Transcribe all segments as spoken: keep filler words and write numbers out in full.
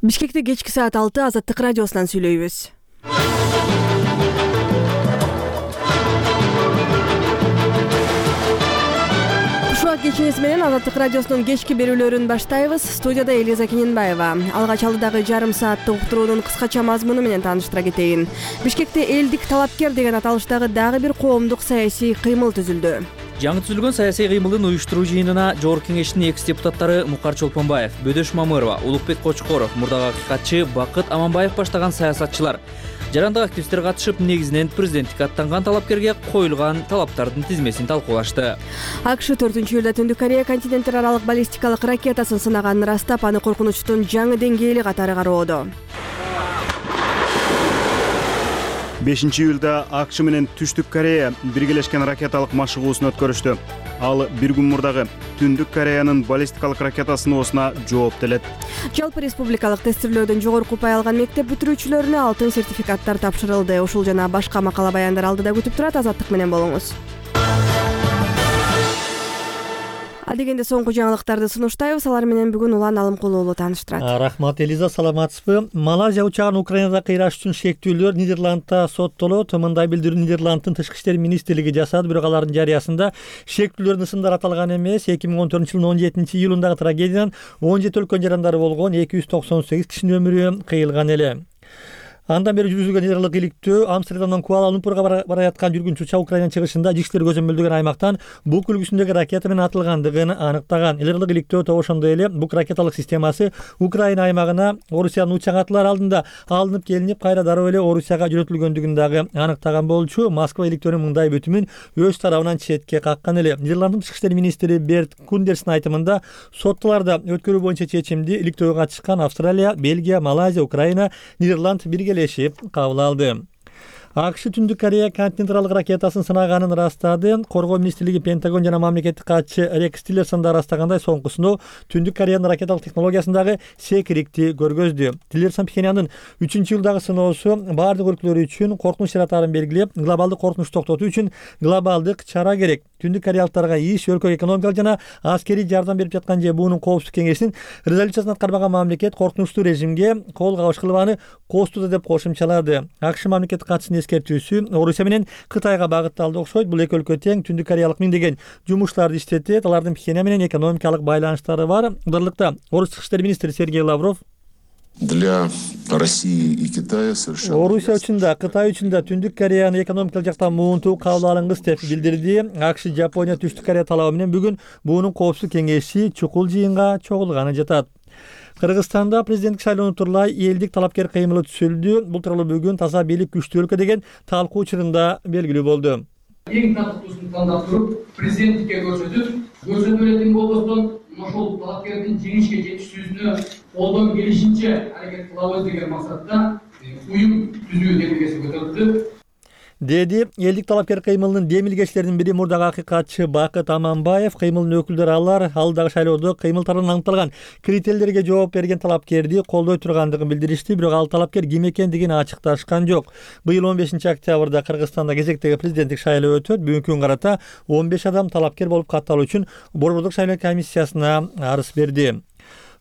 Бишкекте кечки саат алты Азаттык радиосунан сүйлөйбүз. Ушуак кечинеси менен Азаттык радиосунун кечки берүүлөрүн баштайбыз. Студияда Элиза Кененбаева. Алгач алдыдагы жарым сааттык уктуруунун кыскача мазмуну менен тааныштыра кетейин. Бишкекте элдик талапкер деген аталыштагы дагы бир коомдук саясий кыймыл түзүлдү. Жаңы түзүлгөн саясий кыймылдын уюштуруу жыйынына Жогорку Кеңештин экс депутаттары Мукар Чолпонбаев, Бөдөш Мамырова, Улукбек Кочкоров, мурдагы акыйкатчы Бакыт Аманбаев баштаган саясатчылар, жарандык активисттер катышып, негизинен президенттикке аттанган талапкерге коюлган талаптардын тизмесин талкуулашты. АКШ төртүнчү июлда Түндүк Корея континенттер аралык баллистикалык ракетасын сынаганын ырастап, аны коркунучтун жаңы деңгээли катары кароодо. бешинчи июлда АКШ менен Түштүк Корея биргелешкен ракеталык машыгуусун өткөрүштү. Ал бир күн мурдагы Түндүк Кореянын баллистикалык ракета сыноосуна жооп делет. Жалпы республикалык тестирлөөдөн жогорку упай алган мектеп бүтүрүүчүлөрүнө алтын сертификаттар тапшырылды. Ушул жана башка макала баяндар алдыда күтүп турат. Азаттык менен болуңуз. Адегенде соңку жаңылыктарды сунуштайбыз. Алар менен бүгүн Улан Алымкул уулу тааныштырат. Рахмат Элиза, саламатсызбы? Малайзия учагын Украинада кыйраш үчүн шектүүлөр Нидерландта соттолот. Мындай билдирүү Нидерланддын тышкы иштер министрлиги жасады. Бирок алардын жарыясында шектүүлөрдүн ысымдары аталган эмес. эки миң он төртүнчү жылдын он жетинчи июлундагы трагедиядан он жети өлкөнүн жарандары болгон эки жүз токсон сегиз кишинин өмүрү кыйылган эле. Андан бери жүргүзүлгөн нейралык иликтөө Амстердамдан Куала-Лумпурга бара жаткан жүргүнчү учак Украинанын чыгышында ички иштер көзөмөлдөгөн аймактан бук үлгүсүндөгү ракета менен атылгандыгын аныктаган. Нейралык иликтөө ошондой эле бук ракеталык системасы Украина аймагына Орусиянын учак атылар алдында алынып келинип, кайра дароо эле Орусияга жөнөтүлгөндүгүн дагы аныктаган болчу. Москва иликтөөнүн мындай бүтүмүн өз тарабынан четке каккан эле. Нидерланддын тышкы иштер министри Берт Кундерстин айтымында соттоларда өткөрүү боюнча чечимди иликтөөгө катышкан Австралия, Бельгия, Малайзия, Украина, Нидерланд бирге кабыл алды. АКШ Түндүк Корея континенттик ракетасын сынаганын ырастады. Коргоо министрлиги, Пентагон жана мамлекеттик катчы Рекс Тиллерсон да ырастагандай, соңку сыноо Түндүк Кореянын ракеталык технологиясындагы секирикти көргөздү. Тиллерсон Пхеньяндын үчүнчү жылдагы сыноосу баардык өлкөлөр үчүн коркунуч жаратаарын белгилеп, глобалдык коркунучту токтотуу үчүн глобалдык чара керек. Түндүк кореялыктарга иш, өлкөгө экономикалык жана аскерий жардам берип жаткан же буунун коопсуздук кеңешинин резолюциясын аткарбаган мамлекет коркунучтуу режимге кол кабыш кылбаны костууда деп кошумчалады. АКШ мамлекеттик катчысынын эскертүүсү Орусия менен Кытайга багытталды окшойт. Бул эки өлкө тең Түндүк кореялык миңдеген жумушчуларды иштетет. Алардын Пхеньян менен экономикалык байланыштары бар. Дырлыкта Орус тышкы иштер министри Сергей Лавров Для России и Китая совершенно Орусия үчүн да, Кытай үчүн да Түндүк Кореяны экономикалык жактан муунтуу кабыл алыңыз деп билдирди. АКШ, Жапония, Түштүк Корея талабы менен бүгүн буунун коопсуздук кеңеши чукул жыйынга чогулганы жатат. Кыргызстанда президенттик шайлоону тууралай элдик талапкер кыймылы түзүлдү. Бул тууралуу бүгүн таза бийлик күчтүү өлкө деген талкуу учурунда белгилүү болду. Эң татыктуусун тандап туруп, президенттикке көрсөтүп, көрсөтө электин болбостон ошол талапкердин жеңишке жетишүүсүнө колдон келишинче аракет кылабыз деген максатта уюм түзүү демилгеси көтөрүлдү. Деди элдик талапкер кыймылынын демилгечилеринин бири мурдагы акыйкатчы Бакыт Аманбаев. Кыймылдын өкүлдөрү алар алдагы шайлоодо кыймылдардан аныкталган критерийлерге жооп берген талапкерди колдой тургандыгын билдиришти, бирок ал талапкер ким экендигин ачыкташкан жок. Быйыл он бешинчи октябрда Кыргызстанда кезектеги президенттик шайлоо өтөт. Бүгүнкү күнгө карата он беш адам талапкер болуп катталуу үчүн Борбордук шайлоо комиссиясына арыз берди.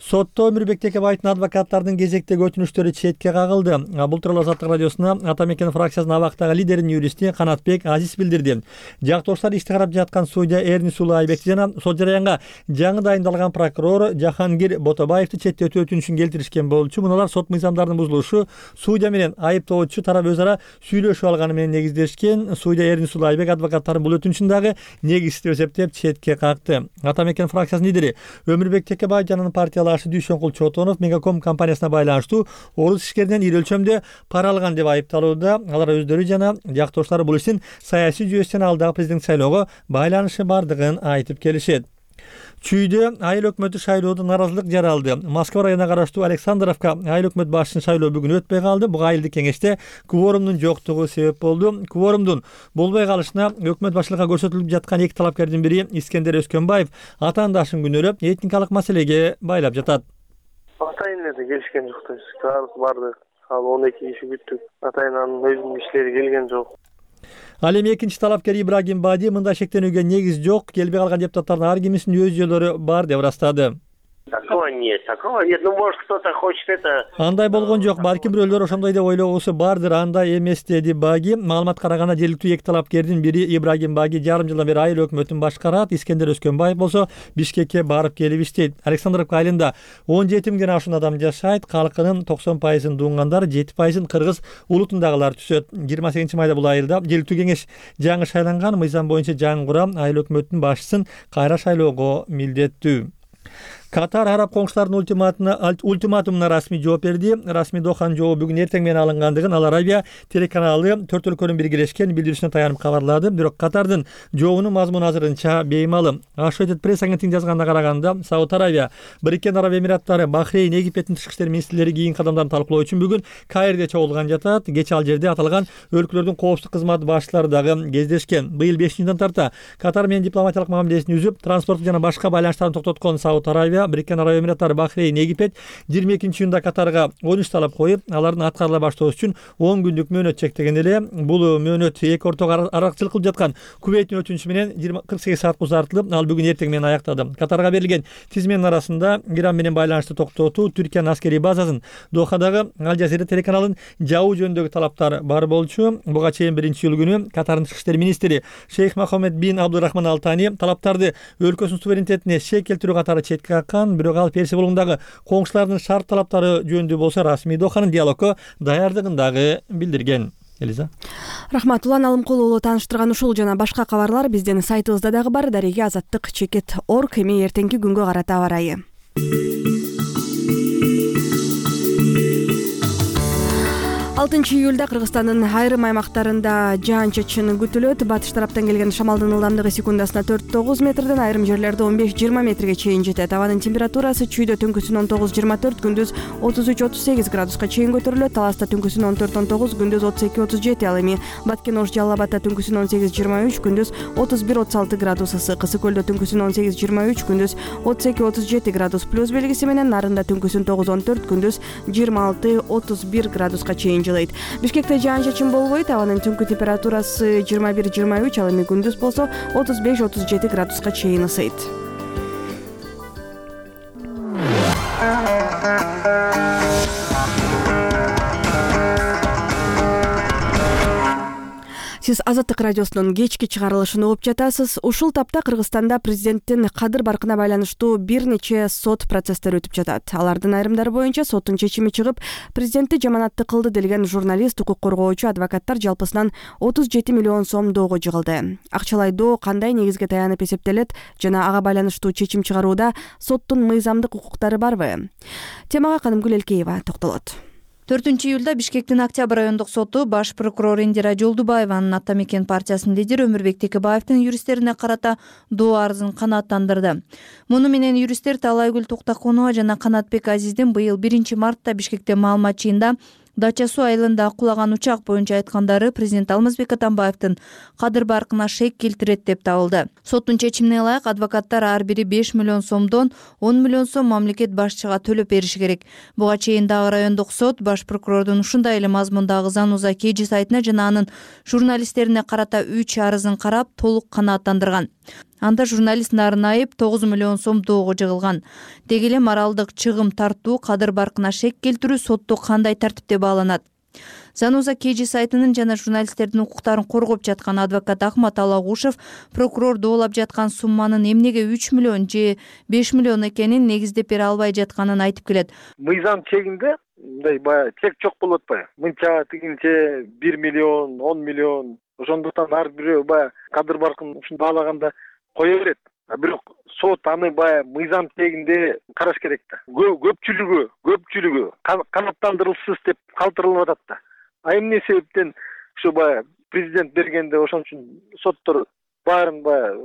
Сотто Өмүрбек Текебаевдин адвокаттардын кезектеги өтүнүчтөрү четке кагылды. Бул тууралуу Азаттык радиосуна Атамекен фракциясынын абактагы лидеринин юристи Канатбек Азиз билдирди. Жактоштор ишти карап жаткан судья Эрни Сулайбек жана сот жараянга жаңы дайындалган прокурор Жахангир Ботобаевди четтетүү өтүнүшүн келтиришкен болчу. Муналар сот мыйзамдарынын бузулушу, судья менен айыптоочу тарап өз ара сүйлөшүп алганы менен негиздешкен. Судья Эрни Сулайбек адвокаттарын бул өтүнүшүн дагы негизсиз эсептеп четке какты. Атамекен фракциясынын лидери Өмүрбек Текебаев жана партиялар Дүйшөнкул Чотонов Мегаком компаниясына байланыштуу орус ишкеринен ири өлчөмдө пара алган деп айыпталууда. Алар өздөрү жана жактоштары бул иштин саясий жүйөсүнөн алдагы президенттик шайлоого байланышы бардыгын айтып келишет. Чүйдө айыл өкмөтү шайлоодо наразылык жаралды. Москва районуна караштуу Александровка айыл өкмөт башчысынын шайлоо бүгүн өтпөй калды. Буга айылдык кеңеште кворумдун жоктугу себеп болду. Кворумдун болбой калышына өкмөт башчылыгына көрсөтүлүп жаткан эки талапкердин бири Искендер Өскөнбаев атаандашын күнөөлөп, этникалык маселеге байлап жатат. Атайын келишкен жок дейбиз. Баарыбыз бардык. Ал он эки киши күттүк. Атайынын өзүнүн иштери келген жок. Ал эми экинчи талапкер Ибрагим Бади мындай шектенүүгө негиз жок, келбей калган депутаттардын ар кимисинин өз жолдору бар деп ырастады. Такого нет, такого нет. Ну, может, кто-то хочет это... Андай болгон жок. Балким бирөөлөр ошондой деп ойлогусу бардыр. Андай эмес, деди Баги. Маалымат караганда жергиликтүү эки талапкердин бири Ибрагим Баги жарым жылдан бери айыл өкмөтүн башкарат. Искендер Өскөнбаев болсо Бишкекке барып келип иштейт. Александровка айылында он жети миңден ашуун адам жашайт. Калкынын токсон пайызын дуңгандар, жети пайызын кыргыз улутундагылар түзөт. жыйырма сегизинчи майда бул айылда жергиликтүү кеңеш жаңы шайланган. Мыйзам боюнча жаңы курам айыл өкмөтүнүн башчысын кайра шайлоого милдеттүү. Катар араб коңшуларынын ультиматумуна расмий жооп берди. Расмий Доханын жообу бүгүн эртең менен алынгандыгын Ал Арабия телеканалы төрт өлкөнүн биргелешкен билдирүүсүнө таянып кабарлады. Бирок Катардын жообунун мазмуну азырынча беймалым. Associated Press агенттигинин жазганына караганда, Сауд Арабия, Бириккен Араб Эмираттары, Бахрейн, Египеттин тышкы иштер министрлери кийинки кадамдарын талкуулоо үчүн бүгүн Каирде чогулган жатат. Кечээ ал жерде аталган өлкөлөрдүн коопсуздук кызматы башчылары дагы кездешкен. Быйыл беш жылдан тарта Катар менен дипломатиялык мамилесин үзүп, транспорттук жана башка байланыштарын токтоткон Сауд Арабия, Бириккен Араб Эмираттары, Бахрейн, Египет жыйырма экинчи июнда Катарга он үч талап коюп, алардын аткарыла баштоосу үчүн он күндүк мөөнөт чектеген эле. Бул мөөнөт эки ортого аракчылык кылып жаткан Кувейттин өтүнүчү менен кырк сегиз саатка узартылып, ал бүгүн эртең менен аяктады. Катарга берилген тизменин арасында Иран менен байланышты токтотуу, Түркиянын аскерий базасын Дохадагы Ал Жазира телеканалын жабуу жөнүндөгү талаптар бар болчу. Буга чейин биринчи июль күнү Катардын тышкы иштер министри Шейх Мохаммед бин Абдурахман Ал Тани талаптарды өлкөсүнүн суверенитетине шек келтирүү катары четке каккан. Бирок ал Персия булугундагы коңшуларынын шарт талаптары жөнүндө болсо расмий Доханын диалогко даярдыгын дагы билдирген. Элиза. Рахмат. Улан Алымкулуулу тааныштырган ушул жана башка кабарлар биздин сайтыбызда дагы бар. Дареги азаттык чекит точка орг. Эми эртеңки күнгө карата аба ырайы. алтынчы июлда Кыргызстандын айрым аймактарында жаан-чачын күтүлөт. Батыш тараптан келген шамалдын ылдамдыгы секундасына төрт тогуз метрден, айрым жерлерде он беш жыйырма метрге чейин жетет. Абанын температурасы чүйдө түнкүсүн он тогуз жыйырма төрт, күндүз отуз үч отуз сегиз градуска чейин көтөрүлөт. Таласта түнкүсүн он төрт он тогуз, күндүз отуз эки отуз жети. Ал эми Баткен Ош Жалал Абадта түнкүсүн он сегиз жыйырма үч, күндүз отуз бир отуз алты градус ысык. Ысык көлдө түнкүсүн он сегиз жыйырма үч, күндүз отуз эки отуз жети градус плюс белгиси менен. Нарында түнкүсүн тогуз он төрт, күндүз жыйырма алты отуз бир градуска чейин жылыйт. Бишкекте жаан-чачын болбойт. Абанын түнкү температурасы жыйырма бир жыйырма үч, ал эми күндүз болсо отуз беш отуз жети градуска чейин ысыйт. Сиз Азаттык радиосунун кечки чыгарылышын угуп жатасыз. Ушул тапта Кыргызстанда президенттин кадыр баркына байланыштуу бир нече сот процесстери өтүп жатат. Алардын айрымдары боюнча соттун чечими чыгып, президентти жаманатты кылды делген журналист, укук коргоочу, адвокаттар жалпысынан отуз жети миллион сом доого жыгылды. Акчалай доо кандай негизге таянып эсептелет жана ага байланыштуу чечим чыгарууда соттун мыйзамдык укуктары барбы? Темага Канымгүл Элкеева токтолот. төртүнчү июлда Бишкектин Октябрь райондук соту баш прокурор Индира Жолдубаеванын Ата Мекен партиясынын лидери Өмүрбек Текебаевдин юристтерине карата доо арызын канааттандырды. Муну менен юристтер Талайгүл Токтоконова жана Канатбек Азиздин быйыл биринчи мартта Бишкекте маалымат жыйында Дача суу айылында кулаган учак боюнча айткандары президент Алмазбек Атамбаевдин кадыр баркына шек келтирет деп табылды. Соттун чечимине ылайык адвокаттар ар бири беш миллион сомдон он миллион сом мамлекет башчыга төлөп бериши керек. Буга чейин дагы райондук сот баш прокурордун ушундай эле мазмундагы Зануза Кежи сайтына жана анын журналисттерине карата үч арызын карап толук канааттандырган. Анда журналист Нарын Айып тогуз миллион сом доого жыгылган. Деги эле моралдык чыгым тартуу, кадыр баркына шек келтирүү сотто кандай тартипте бааланат? Зануза Кежи сайтынын жана журналисттердин укуктарын коргоп жаткан адвокат Ахмат Алагушев прокурор доолап жаткан сумманын эмнеге үч миллион же беш миллион экенин негиздеп бере албай жатканын айтып келет. Мыйзам чегинде мындай баягы чек жок болуп атпайбы? Мынча тигинче бир миллион, он миллион. Ошондуктан ар бирөө баягы кадыр баркын ушун баалаганда кое берет. Бирок сот аны баягы мыйзам чегинде караш керек да. Көпчүлүгү, көпчүлүгү канааттандырылсыз деп калтырылып атат да. А эмне себептен ушу баягы президент бергенде ошон үчүн соттор баарын баягы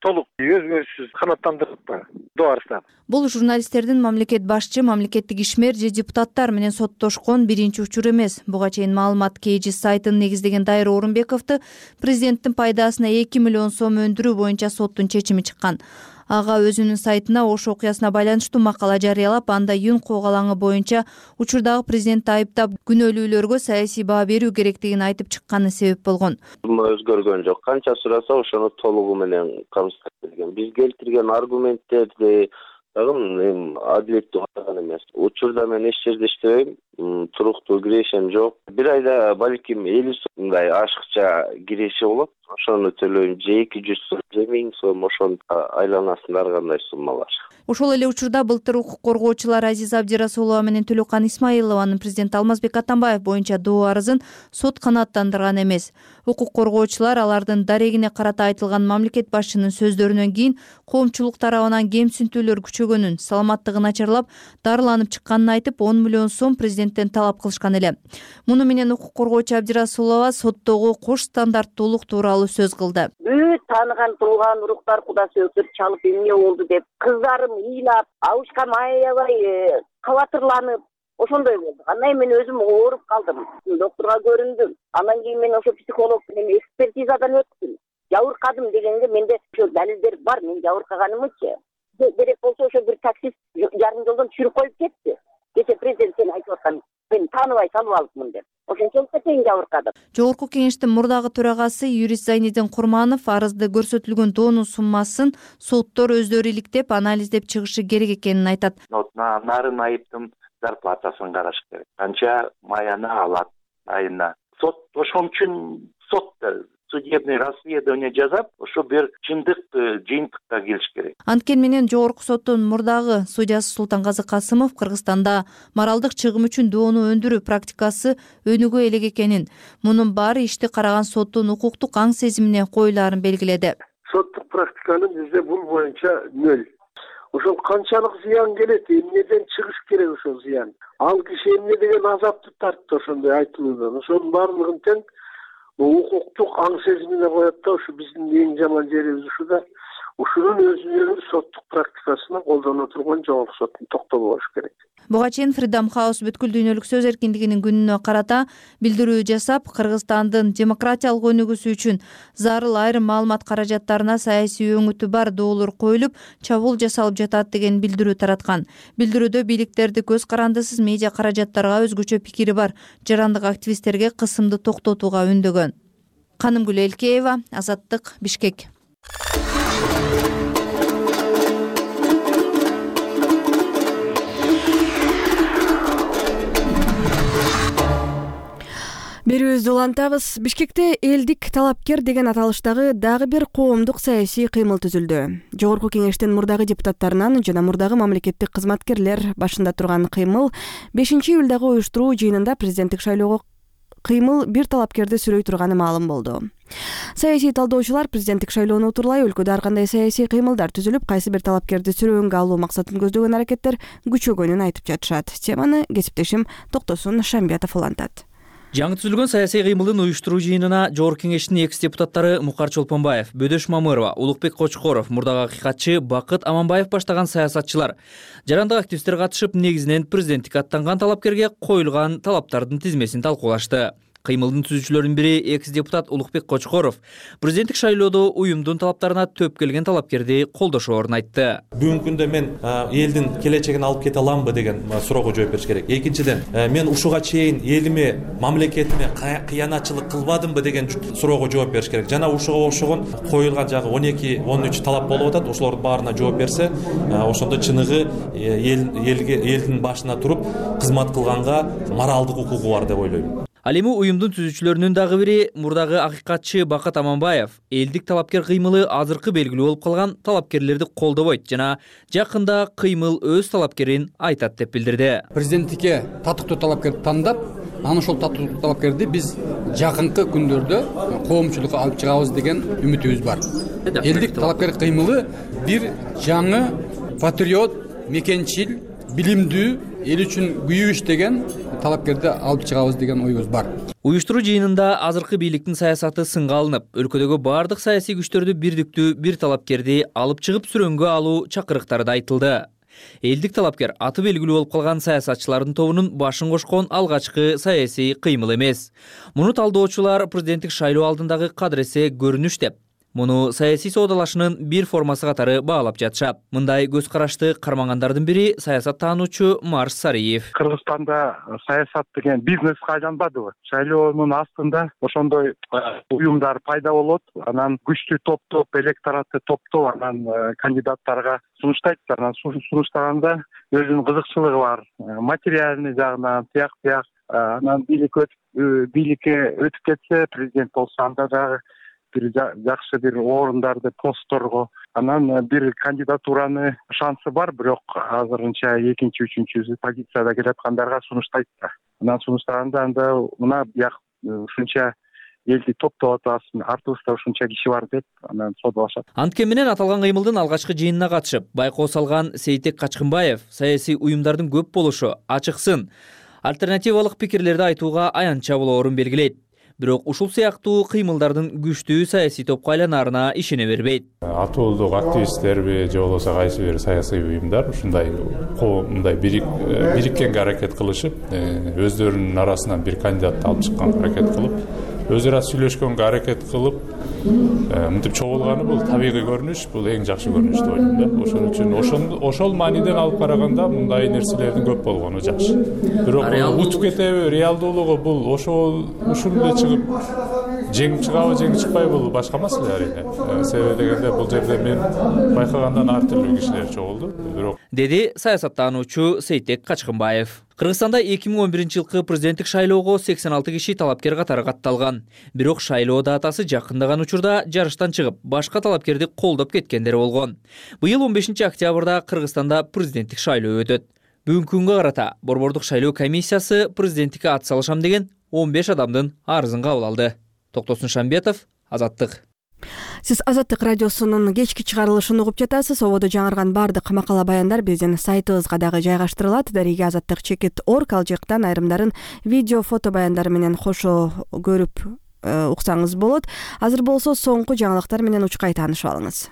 толук өзгөрүшсүз канааттандырып доо арыздар. Бул журналисттердин мамлекет башчы, мамлекеттик ишмер же депутаттар менен соттошкон биринчи учур эмес. Буга чейин маалымат Кежи сайтын негиздеген Дайыр Орунбековду президенттин пайдасына эки миллион сом өндүрүү боюнча соттун чечими чыккан. Ага өзүнүн сайтына Ош окуясына байланыштуу макала жарыялап, анда Юн когалаңы боюнча учурдагы президентти айыптап, күнөөлүүлөргө саясий баа берүү керектигин айтып чыкканы себеп болгон. Өзгөргөн жок. Канча сураса ошону толугу менен камсыздап берген. Биз келтирген аргументтерди, Дагы эми адилеттүү каттаган эмес. Учурда мен эч жерде иштебейм, туруктуу кирешем жок. Бир айда балким элүү сомдай ашыкча киреше болот. Ошону төлөйм, же эки жүз сом, же миң сом, ошонун айланасында ар кандай суммалар. Ошол эле учурда былтыр укук коргоочулар Азиза Абдирасулова менен Төлөкан Исмаилованын президент Алмазбек Атамбаев боюнча доо арызын сот канааттандырган эмес. Укук коргоочулар алардын дарегине карата айтылган мамлекет башчынын сөздөрүнөн кийин коомчулук тарабынан кемсинтүүлөр күчөгөнүн, саламаттыгы начарлап, дарыланып чыкканын айтып, он миллион сом президенттен талап кылышкан эле. Муну менен укук коргоочу Абдирасулова соттогу кош стандарттуулук тууралуу сөз кылды. Бүт тааныган тууган уруктар куда сөздөр чалып эмне болду деп кыздарым ыйлап, абышкам аябай кабатырланып, ошондой болду. Андан кийин мен өзүм ооруп калдым. Доктурга көрүндүм. Андан кийин мен ошо психолог менен экспертизадан өттүм. Жабыркадым дегенге менде ошо далилдер бар. Мен жабыркаганымчы. Керек болсо ошо бир таксист жарым жолдон түшүрүп коюп кетти. Кече президент сен айтып аткан, мен тааныбай салып алыпмын деп. Ошончолукка чейин жабыркадым. Жогорку кеңештин мурдагы төрагасы юрист Зайнидин Курманов арызда көрсөтүлгөн доонун суммасын соттор өздөрү иликтеп, анализдеп чыгышы керек экенин айтат. Нарын айыптын зарплатасын караш керек. Канча маяны алат айына. Сот ошон үчүн сотто судебный расследование жасап, ошо бир чындык жыйынтыкка келиш керек. Анткени менен Жогорку соттун мурдагы судьясы Султангазы Касымов Кыргызстанда моралдык чыгым үчүн доону өндүрүү практикасы өнүгө элек экенин, мунун баары ишти караган соттун укуктук аң сезимине коюлаарын белгиледи. Соттук практиканын бизде бул боюнча нөл. Ошол канчалык зыян келет, эмнеден чыгыш керек ошол зыян. Ал киши эмне деген азапты тартты ошондой айтылуудан. Ошонун баардыгын тең укуктук аң сезимине коет да, ушу биздин эң жаман жерибиз ушуда. Ушунун өзүнүн соттук практикасына колдоно турган жогорку соттун токтолуу болуш керек. Буга чейин Freedom House бүткүл дүйнөлүк сөз эркиндигинин күнүнө карата билдирүү жасап, Кыргызстандын демократиялык өнүгүүсү үчүн зарыл айрым маалымат каражаттарына саясий өңүтү бар доолор коюлуп, чабуул жасалып жатат деген билдирүү тараткан. Билдирүүдө бийликтерди көз карандысыз медиа каражаттарга өзгөчө пикири бар жарандык активисттерге кысымды токтотууга үндөгөн. Канымгүл Элкеева, Азаттык, Бишкек. Берүүбүздү улантабыз. Бишкекте элдик талапкер деген аталыштагы дагы бир коомдук саясий кыймыл түзүлдү. Жогорку кеңештин мурдагы депутаттарынан жана мурдагы мамлекеттик кызматкерлер башында турган кыймыл бешинчи июлдагы уюштуруу жыйынында президенттик шайлоого кыймыл бир талапкерди сүрөй турганы маалым болду. Саясий талдоочулар президенттик шайлоону утурлай өлкөдө ар кандай саясий кыймылдар түзүлүп, кайсы бир талапкерди сүрөөнгө алуу максатын көздөгөн аракеттер күчөгөнүн айтып жатышат. Теманы кесиптешим Токтосун Шамбиятов улантат. Жаңы түзүлгөн саясий кыймылдын уюштуруу жыйынына Жогорку кеңештин экс депутаттары Мукар Чолпонбаев, Бөдөш Мамырова, Улукбек Кочкоров, мурдагы акыйкатчы Бакыт Аманбаев баштаган саясатчылар, жарандык активисттер катышып, негизинен президенттикке аттанган талапкерге коюлган талаптардын тизмесин талкуулашты. Кыймылдын түзүүчүлөрүнүн бири экс депутат Улукбек Кочкоров президенттик шайлоодо уюмдун талаптарына төп келген талапкерди колдошоорун айтты. Бүгүнкү күндө мен элдин келечегин алып кете аламбы деген суроого жооп бериш керек. Экинчиден, мен ушуга чейин элиме, мамлекетиме кыянатчылык кылбадымбы деген суроого жооп бериш керек. Жана ушуга окшогон коюлган жагы он эки он үч талап болуп атат. Ошолордун баарына жооп берсе, ошондо чыныгы элге элдин башына туруп кызмат кылганга моралдык укугу бар деп ойлойм. Ал эми уюмдун түзүүчүлөрүнүн дагы бири мурдагы акыйкатчы Бакыт Аманбаев элдик талапкер кыймылы азыркы белгилүү болуп калган талапкерлерди колдобойт жана жакында кыймыл өз талапкерин айтат деп билдирди. Президенттикке татыктуу талапкерди тандап, анан ошол татыктуу талапкерди биз жакынкы күндөрдө коомчулукка алып чыгабыз деген үмүтүбүз бар. Элдик талапкер кыймылы бир жаңы патриот, мекенчил, билимдүү, эл үчүн күйүү иштеген талапкерди алып чыгабыз деген оюбуз бар. Уюштуруу жыйынында азыркы бийликтин саясаты сынга алынып, өлкөдөгү баардык саясий күчтөрдү бирдиктүү бир талапкерди алып чыгып сүрөнгө алуу чакырыктары да айтылды. Элдик талапкер аты белгилүү болуп калган саясатчылардын тобунун башын кошкон алгачкы саясий кыймыл эмес. Муну талдоочулар президенттик шайлоо алдындагы кадыресе көрүнүш деп Муну саясий соодалашуунун бир формасы катары баалап жатышат. Мындай көз карашты кармагандардын бири саясат таануучу Марс Сариев. Кыргызстанда саясат деген бизнеске айланбадыбы? Шайлоонун астында ошондой уюмдар пайда болот, анан күчтүү топтоп, электоратты топтоп, анан кандидаттарга сунуштайт. Анан сунуштаганда өзүнүн кызыкчылыгы бар, материальный жагынан тияк бияк. Анан бийлик бийликке өтүп кетсе, президент болсо, анда дагы бир жакшы бир орундарды, постторго, анан бир кандидатураны шансы бар, бирок азырынча экинчи, үчүнчү позицияда келаткандарга сунуштайт да. Анан сунуштаганда анда мына бияк ушунча элди топтоп атасың, артыбызда ушунча киши бар деп анан соодалашат. Анткени менен аталган кыймылдын алгачкы жыйынына катышып, байкоо салган Сейтек Качкынбаев саясий уюмдардын көп болушу, ачыксын, альтернативалык пикирлерди айтууга аянтча болоорун белгилейт. Бирок ушул сыяктуу кыймылдардын күчтүү саясий топко айланаарына ишене бербейт. Атуулдук активисттерби же болбосо кайсы бир саясий уюмдар ушундай мындай бириккенге аракет кылышып, өздөрүнүн арасынан бир кандидатты алып чыкканга аракет кылып, өзү ара сүйлөшкөнгө аракет кылып, мынтип чогулганы бул табигый көрүнүш, бул эң жакшы көрүнүш деп ойлойм да. Ошон үчүн ошол мааниден алып караганда мындай нерселердин көп болгону жакшы. Бирок утуп кетеби, реалдуулугу бул ошол ушул эле чыгып жеңип чыгабы, жеңип чыкпайбы бул башка маселе арине. Себеби дегенде бул жерде мен байкагандан ар түрдүү кишилер чогулду. Бирок деди саясаттануучу Сейтек Качкынбаев. Кыргызстанда эки миң он биринчи жылкы президенттик шайлоого сексен алты киши талапкер катары катталган. Бирок шайлоо датасы жакындаган учурда жарыштан чыгып, башка талапкерди колдоп кеткендер болгон. Быйыл он бешинчи октябрда Кыргызстанда президенттик шайлоо өтөт. Бүгүнкү күнгө карата Борбордук шайлоо комиссиясы президенттикке ат салышам деген он беш адамдын арызын кабыл алды. Токтосун Шамбетов, Азаттык. Сиз Азаттык радиосунун кечки чыгарылышын угуп жатасыз. Ободо жаңырган бардык макала баяндар биздин сайтыбызга дагы жайгаштырылат. Дарига азаттык чекит орг ал жактан айрымдарын видео, фото баяндар менен кошо көрүп уксаңыз болот. Азыр болсо соңку жаңылыктар менен учкай таанышып алыңыз.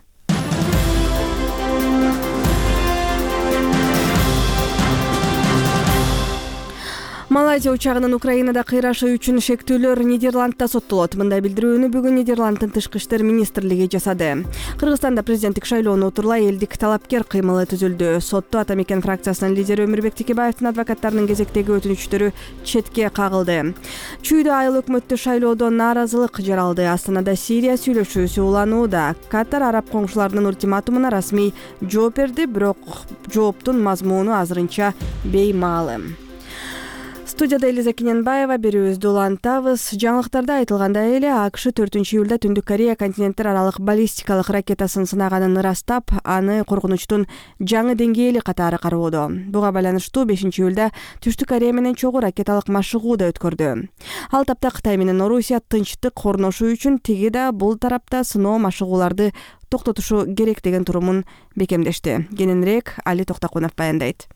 Малайзия учагынын Украинада кыйрашы үчүн шектүүлөр Нидерландда соттолот. Мындай билдирүүнү бүгүн Нидерланддын тышкы иштер министрлиги жасады. Кыргызстанда президенттик шайлоону отурлай элдик талапкер кыймылы түзүлдү. Сотто Ата Мекен фракциясынын лидери Өмүрбек Текебаевдин адвокаттарынын кезектеги өтүнүчтөрү четке кагылды. Чүйдө айыл өкмөттү шайлоодон нааразылык жаралды. Астанада Сирия сүйлөшүүсү уланууда. Катар араб коңшуларынын ультиматумуна расмий жооп берди, бирок жооптун мазмуну азырынча беймаалым. Студияда Элиза Кененбаева, берүүбүздү улантабыз. Жаңылыктарда айтылгандай эле АКШ төртүнчү июлда Түндүк Корея континенттер аралык баллистикалык ракетасын сынаганын ырастап, аны коркунучтун жаңы деңгээли катары кароодо. Буга байланыштуу бешинчи июлда Түштүк Корея менен чогуу ракеталык машыгуу да өткөрдү. Ал тапта Кытай менен Орусия тынчтык орношуу үчүн тиги да бул тарапта сыноо машыгууларды токтотушу керек деген турумун бекемдешти. Кененирээк Али Токтокунов баяндайт.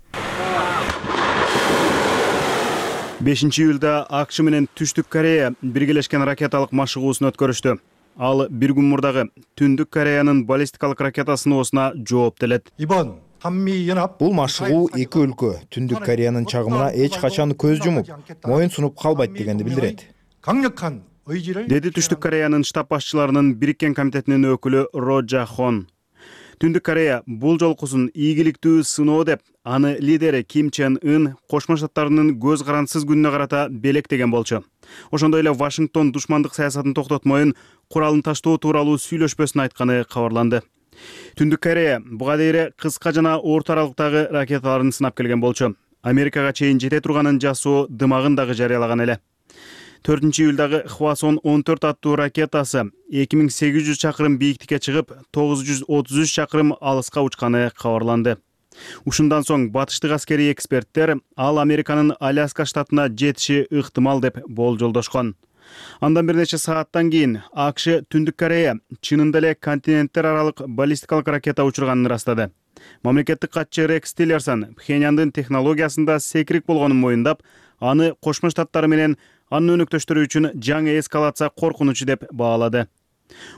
бешинчи июлда АКШ менен Түштүк Корея биргелешкен ракеталык машыгуусун өткөрүштү. Ал бир күн мурдагы Түндүк Кореянын баллистикалык ракета сыноосуна жооп делет. Бул машыгуу эки өлкө Түндүк Кореянын чагымына эч качан көз жумуп, моюн сунуп калбайт дегенди билдирет. Деди Түштүк Кореянын штаб башчыларынын бириккен комитетинин өкүлү Ро Жа Хон. Түндүк Корея бул жолкусун ийгиликтүү сыноо деп, аны лидери Ким Чен Ын Кошмо Штаттарынын көз карансыз күнүнө карата белектеген болчу. Ошондой эле Вашингтон душмандык саясатын токтотмоюн, куралын таштоо тууралуу сүйлөшпөсүн айтканы кабарланды. Түндүк Корея буга дейин кыска жана орто аралыктагы ракеталарын сынап келген болчу. Америкага чейин жете турганын жасоо дымагын дагы жарыялаган эле. төртүнчү июлдагы Хвасон он төрт аттуу ракетасы эки миң сегиз жүз чакырым бийиктикке чыгып, тогуз жүз отуз үч чакырым алыска учканы кабарланды. Ушундан соң батыштык аскерий эксперттер ал Американын Аляска штатына жетиши ыктымал деп болжолдошкон. Андан бир нече сааттан кийин АКШ Түндүк Корея чынында эле континенттер аралык баллистикалык ракета учурганын ырастады. Мамлекеттик катчы Рекс Тиллерсон Пхеньяндын технологиясында секирик болгонун моюндап, аны Кошмо Штаттары менен анын өнөктөштөрү үчүн жаңы эскалация коркунучу деп баалады.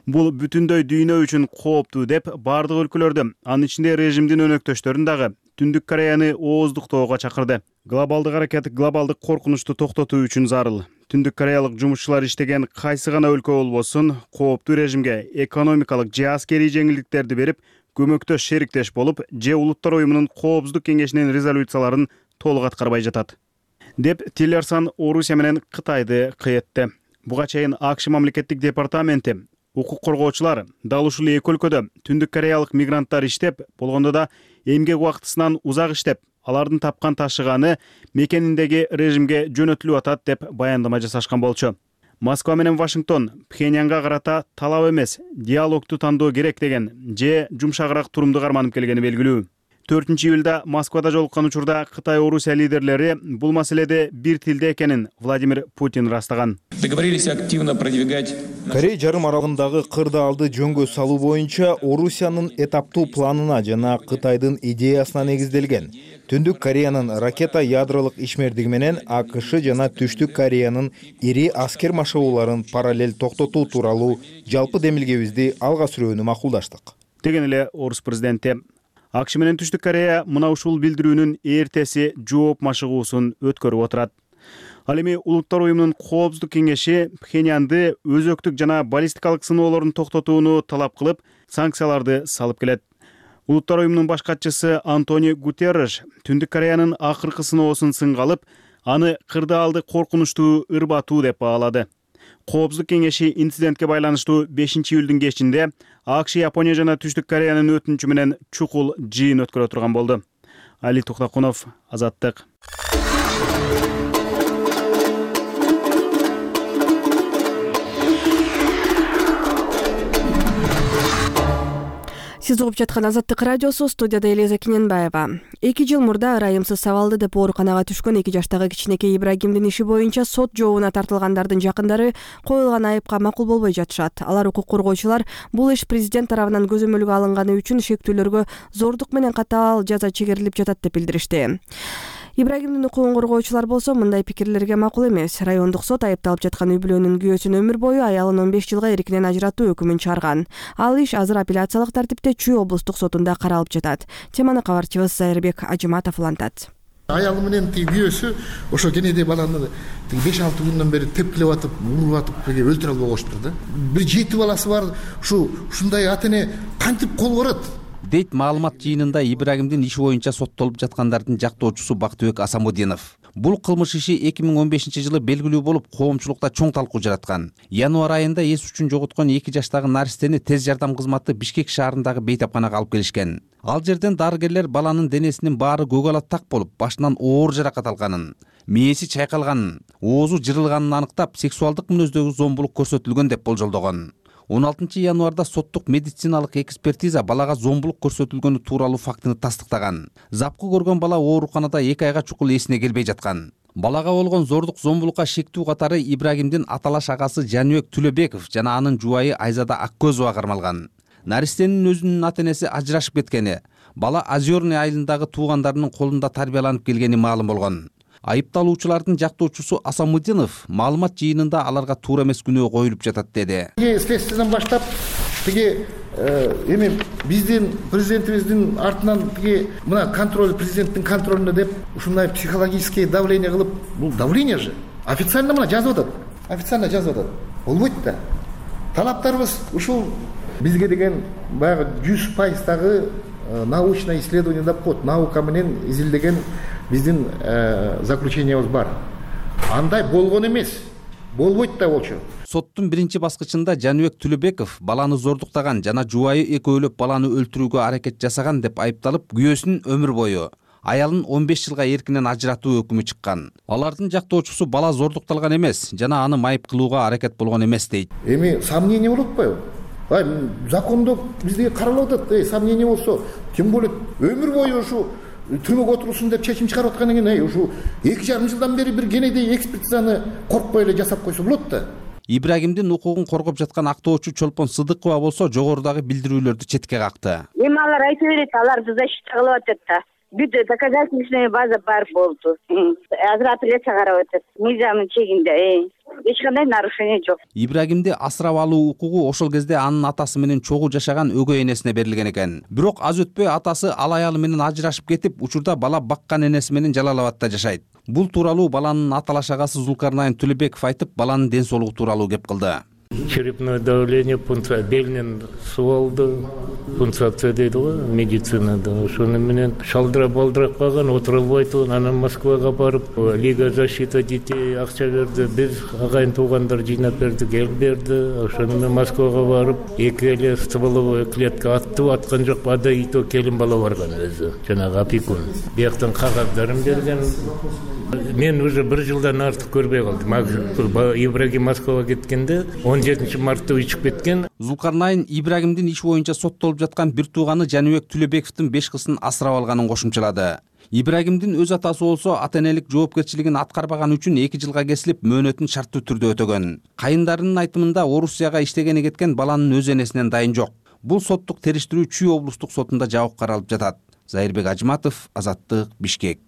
Бул бүтүндөй дүйнө үчүн кооптуу деп бардык өлкөлөрдү, анын ичинде режимдин өнөктөштөрүн дагы Түндүк Кореяны ооздуктоого чакырды. Глобалдык аракет глобалдык коркунучту токтотуу үчүн зарыл. Түндүк Кореялык жумушчулар иштеген кайсы гана өлкө болбосун кооптуу режимге экономикалык же аскерий жеңилдиктерди берип, көмөктөш шериктеш болуп, же Улуттар уюмунун Коопсуздук кеңешинин резолюцияларын толук аткарбай жатат деп Тиллерсон Орусия менен Кытайды кыйытты. Буга чейин АКШ мамлекеттик департаменти укук коргоочулар дал ушул эки өлкөдө түндүк кореялык мигранттар иштеп, болгондо да эмгек убактысынан узак иштеп, алардын тапкан ташыганы мекениндеги режимге жөнөтүлүп атат деп баяндама жасашкан болчу. Москва менен Вашингтон Пхеньянга карата талап эмес, диалогду тандоо керек деген же жумшагыраак турумду карманып келгени белгилүү. төртүнчү июлда Москвада жолуккан учурда Кытай Орусия лидерлери бул маселеде бир тилде экенин Владимир Путин ырастаган. Договорились активно продвигать. Корей жарым аралыгындагы кырдаалды жөнгө салуу боюнча Орусиянын этаптуу планына жана Кытайдын идеясына негизделген. Түндүк Кореянын ракета ядролук ишмердиги менен АКШ жана Түштүк Кореянын ири аскер машыгууларын параллель токтотуу тууралуу жалпы демилгебизди алга сүрүүнү макулдаштык деген эле Орус президенти. АКШ менен Түштүк Корея мына ушул билдирүүнүн эртеси жооп машыгуусун өткөрүп отурат. Ал эми Улуттар уюмунун Коопсуздук кеңеши Пхеньянды өзөктүк жана баллистикалык сыноолорун токтотууну талап кылып, санкцияларды салып келет. Улуттар уюмунун баш катчысы Антонио Гутерриш Түндүк Кореянын акыркы сыноосун сынга алып, аны кырдаалды коркунучтуу, ырбатуу деп баалады. Коопсуздук кеңеши инцидентке байланыштуу бешинчи июлдун кечинде АКШ, Япония жана Түштүк Кореянын өтүнүчү менен чукул жыйын өткөрө турган болду. Али Тухтакунов, Азаттык. Сиз угуп жаткан Азаттык радиосу, студияда Элиза Кененбаева. эки жыл мурда ырайымсыз сабалды деп ооруканага түшкөн эки жаштагы кичинекей Ибрагимдин иши боюнча сот жообуна тартылгандардын жакындары коюлган айыпка макул болбой жатышат. Алар укук коргоочулар бул иш президент тарабынан көзөмөлгө алынганы үчүн шектүүлөргө зордук менен катаал жаза чегерилип жатат деп билдиришти. Ибрагимдин укугун коргоочулар болсо мындай пикирлерге макул эмес. Райондук сот айыпталып жаткан үй бүлөнүн күйөөсүн өмүр бою, аялын он беш жылга эркинен ажыратуу өкүмүн чыгарган. Ал иш азыр апелляциялык тартипте Чүй облустук сотунда каралып жатат. Теманы кабарчыбыз Зайырбек Ажыматов улантат. Аялы менен тиги күйөөсү ошо кенеде баланы тиги беш алты күндөн бери тепкилеп атып, уруп атып, өлтүрө албай коюштур да. Бир жети баласы бар, ушу ушундай ата эне кантип кол барат? Дейт маалымат жыйынында Ибрагимдин иши боюнча соттолуп жаткандардын жактоочусу Бактыбек Асамудинов. Бул кылмыш иши эки миң он бешинчи жылы белгилүү болуп, коомчулукта чоң талкуу жараткан. Январь айында эс үчүн жоготкон эки жаштагы наристени тез жардам кызматы Бишкек шаарындагы бейтапканага алып келишкен. Ал жерден дарыгерлер баланын денесинин баары көгалат так болуп, башынан оор жаракат алганын, мээси чайкалганын, оозу жырылганын аныктап, сексуалдык мүнөздөгү зомбулук көрсөтүлгөн деп болжолдогон. он алтынчы январда соттук медициналык экспертиза балага зомбулук көрсөтүлгөнү тууралуу фактыны тастыктаган. Запкы көргөн бала ооруканада эки айга чукул эсине келбей жаткан. Балага болгон зордук зомбулукка шектүү катары Ибрагимдин аталаш агасы Жаныбек Түлөбеков жана анын жубайы Айзада Аккөзова кармалган. Наристенин өзүнүн ата энеси ажырашып кеткени, бала Озерный айылындагы туугандарынын колунда тарбияланып келгени маалым болгон. Айыпталуучулардын жактоочусу Асамудинов маалымат жыйынында аларга туура эмес күнөө коюлуп жатат деди. Следствиядан баштап тиги эми биздин президентибиздин артынан тиги мына контроль, президенттин контролунда деп ушундай психологический давление кылып, бул давление же официально мына жазып атат. Официально жазып атат. Болбойт да. Талаптарыбыз ушул бизге деген баягы жүз пайыздагы научный исследование деп коет, наука менен изилдеген биздин заключениябыз бар. Андай болгон эмес. Болбойт да болчу. Соттун биринчи баскычында Жаныбек Түлөбеков баланы зордуктаган жана жубайы экөөлөп баланы өлтүрүүгө аракет жасаган деп айыпталып, күйөөсүнүн өмүр бою, аялын он беш жылга эркинен ажыратуу өкүмү чыккан. Алардын жактоочусу бала зордукталган эмес жана аны майып кылууга аракет болгон эмес дейт. Эми сомнение болуп атпайбы? Ай, закондо бизге каралып атат, эй, сомнение болсо, тем более өмүр бою ушу түрмөгө отурсун деп чечим чыгарып аткан экен, эй, ушу эки жарым жылдан бери бир кенедей экспертизаны коркпой эле жасап койсо болот да. Ибрагимдин укугун коргоп жаткан актоочу Чолпон Сыдыкова болсо жогорудагы билдирүүлөрдү четке какты. Эми алар айта берет, аларды защита кылып атат да. бүт доказательственная база бар болду. Азыр апелляция карап атат. Мыйзамдын чегинде эч кандай нарушение жок. Ибрагимди асырап алуу укугу ошол кезде анын атасы менен чогуу жашаган өгөй энесине берилген экен. Бирок аз өтпөй атасы ал аялы менен ажырашып кетип, учурда бала баккан энеси менен Жалал Абадта жашайт. Бул тууралуу баланын аталаш агасы Зулкарнайн Тулебеков айтып, баланын ден соолугу тууралуу кеп кылды. Черепное давление, пункция, белинен суу алды, пункция дейди го медицинада. Ошону менен шалдырап балдырап калган, отура албайт, анан Москвага барып, Лига защиты детей акча берди, биз агайын туугандар жыйнап бердик, эл берди. Ошону менен Москвага барып, эки эле стволовой клетка атты, аткан жок, ада и то келин бала барган өзү, жанагы опекун. Бияктан кагаздарын берген. Мен уже бир жылдан артык көрбөй калдым. Ибрагим Москвага кеткенде он жетинчи мартта учуп кеткен. Зулкарнайн Ибрагимдин иш боюнча соттолуп жаткан бир тууганы Жаныбек Тулебековдун беш кызын асырап алганын кошумчалады. Ибрагимдин өз атасы болсо ата-энелик жоопкерчилигин аткарбаган үчүн эки жылга кесилип, мөөнөтүн шарттуу түрдө өтөгөн. Кайындарынын айтымында Орусияга иштегени кеткен баланын өз энесинен дайын жок. Бул соттук териштирүү Чүй облустук сотунда жабык каралып жатат. Зайырбек Ажыматов, Азаттык, Бишкек.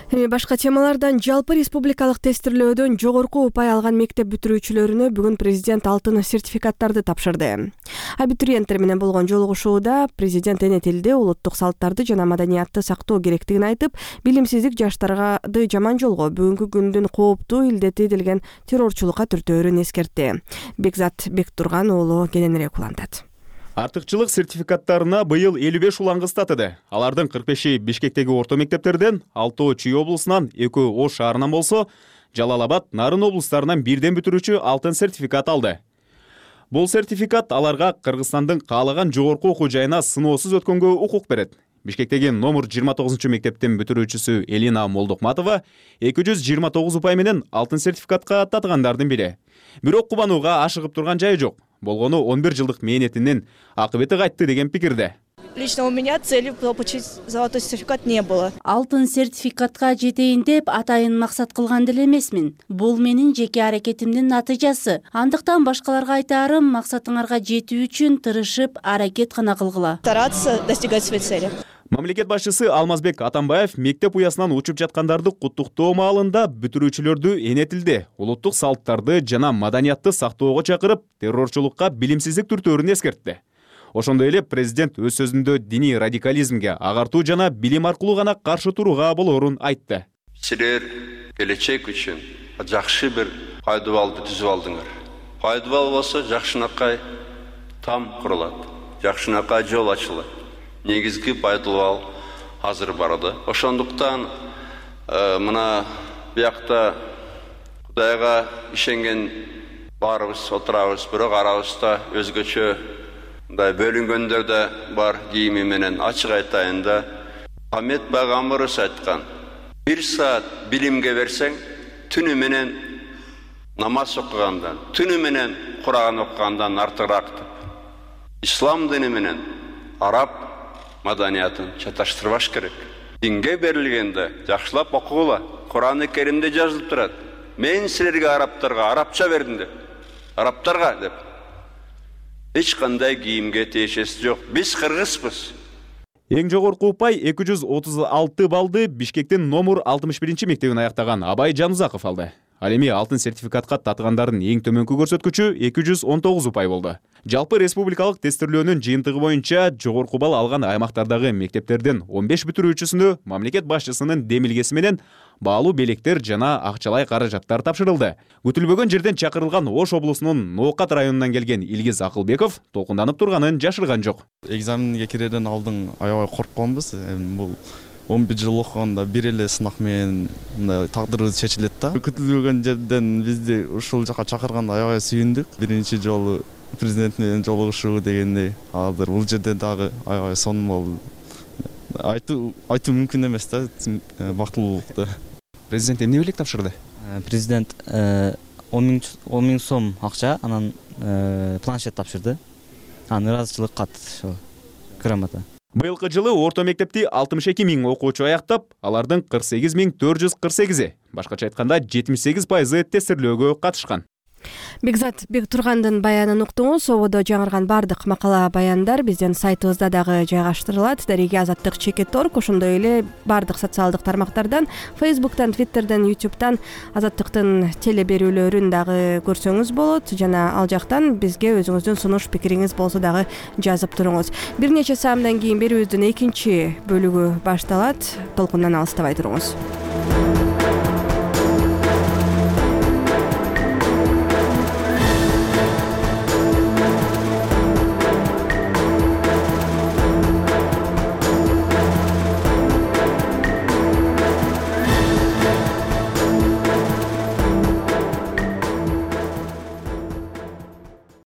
Эми башка темалардан жалпы республикалык тестирлөөдөн жогорку упай алган мектеп бүтүрүүчүлөрүнө бүгүн президент алтын сертификаттарды тапшырды. Абитуриенттер менен болгон жолугушууда президент эне тилди, улуттук салттарды жана маданиятты сактоо керектигин айтып, билимсиздик жаштарды жаман жолго, бүгүнкү күндүн кооптуу илдети делген террорчулукка түртөөрүн эскертти. Бекзат Бектурган уулу кененирээк улантат. Артыкчылык сертификаттарына быйыл элүү беш улангыз татыды. Алардын кырк беши Бишкектеги орто мектептерден, алтоо Чүй облусунан, экөө Ош шаарынан болсо, Жалал Абад, Нарын облустарынан бирден бүтүрүүчү алтын сертификат алды. Бул сертификат аларга Кыргызстандын каалаган жогорку окуу жайына сыноосуз өткөнгө укук берет. Бишкектеги номер жыйырма тогузунчу мектептин бүтүрүүчүсү Элина Молдокматова эки жүз жыйырма тогуз упай менен алтын сертификатка татыгандардын бири. Бирок кубанууга ашыгып турган жайы жок. Болгону он бир жылдык мээнетинин акыбети кайтты деген пикирде. Лично у меня цели получить золотой сертификат не было. Алтын сертификатка жетейин деп атайын максат кылган деле эмесмин. Бул менин жеке аракетимдин натыйжасы. Андыктан башкаларга айтарым, максатыңарга жетүү үчүн тырышып, аракет гана кылгыла. Стараться достигать своей цели. Мамлекет башчысы Алмазбек Атамбаев мектеп уясынан учуп жаткандарды куттуктоо маалында бүтүрүүчүлөрдү эне тилди, улуттук салттарды жана маданиятты сактоого чакырып, террорчулукка билимсиздик түртөөрүн эскертти. Ошондой эле президент өз сөзүндө диний радикализмге агартуу жана билим аркылуу гана каршы турууга болоорун айтты. Силер келечек үчүн жакшы бир пайдабалды түзүп алдыңар. Пайдабал болсо жакшынакай там курулат, жакшынакай жол ачылат. Негизги пайдалуу азыр барады. Ошондуктан мына биякта Кудайга ишенген баарыбыз отурабыз, бирок арабызда өзгөчө мындай бөлүнгөндөр да бар. Кийими менен ачык айтайын да, Ахмет пайгамбарыбыз айткан: бир саат билимге берсең, түнү менен намаз окугандан, түнү менен Куран окугандан артыгыраак деп. Ислам дини менен араб маданиятын чаташтырбаш керек. Динге берилгенде жакшылап окугула. Куран-ы Керимде жазылып турат: мен силерге арабтарга арабча бердим деп. Арабтарга деп. Эч кандай кийимге тиешеси жок. Биз кыргызбыз. Эң жогорку упай эки жүз отуз алты баллды Бишкектин номер алтымыш биринчи мектебин аяктаган Абай Жанузаков алды. Ал эми алтын сертификатка татыгандардын эң төмөнкү көрсөткүчү эки жүз он тогуз упай болду. Жалпы республикалык тестирлөөнүн жыйынтыгы боюнча жогорку балл алган аймактардагы мектептерден он беш бүтүрүүчүсүнө мамлекет башчысынын демилгеси менен баалуу белектер жана акчалай каражаттар тапшырылды. Күтүлбөгөн жерден чакырылган Ош облусунун Ноокат районунан келген Илгиз Акылбеков толкунданып турганын жашырган жок. Экзаменге кирерден алдын аябай коркконбуз. Бул он бир жыл окуганда бир эле сынак менен мындай тагдырыбыз чечилет да. Күтүлбөгөн жерден бизди ушул жака чакырганда аябай сүйүндүк. Биринчи жолу президент менен жолугушуу дегендей, азыр бул жерде дагы аябай сонун болду. Айтуу айтуу мүмкүн эмес да, бактылуулукту. Президент эмне белек тапшырды? Президент он миң сом акча, анан планшет тапшырды. Анан ыраазычылык кат, ошо грамота. Быйылкы жылы орто мектепти алтымыш эки миң окуучу аяктап, алардын кырк сегиз миң төрт жүз кырк сегизи, башкача айтканда жетимиш сегиз пайызы тестирлөөгө катышкан. Бекзат Бектургандын баянын уктуңуз. Ободо жаңырган бардык макала баяндар биздин сайтыбызда дагы жайгаштырылат. Дареги азаттык чекит точка орг, ошондой эле бардык социалдык тармактардан, Facebook'тан, Twitter'ден, YouTube'дан азаттыктын теле берүүлөрүн дагы көрсөңүз болот. Жана ал жактан бизге өзүңүздүн сунуш пикириңиз болсо дагы жазып туруңуз. Бир нече саамдан кийин берүүбүздүн экинчи бөлүгү башталат. Толкундан алыстабай туруңуз.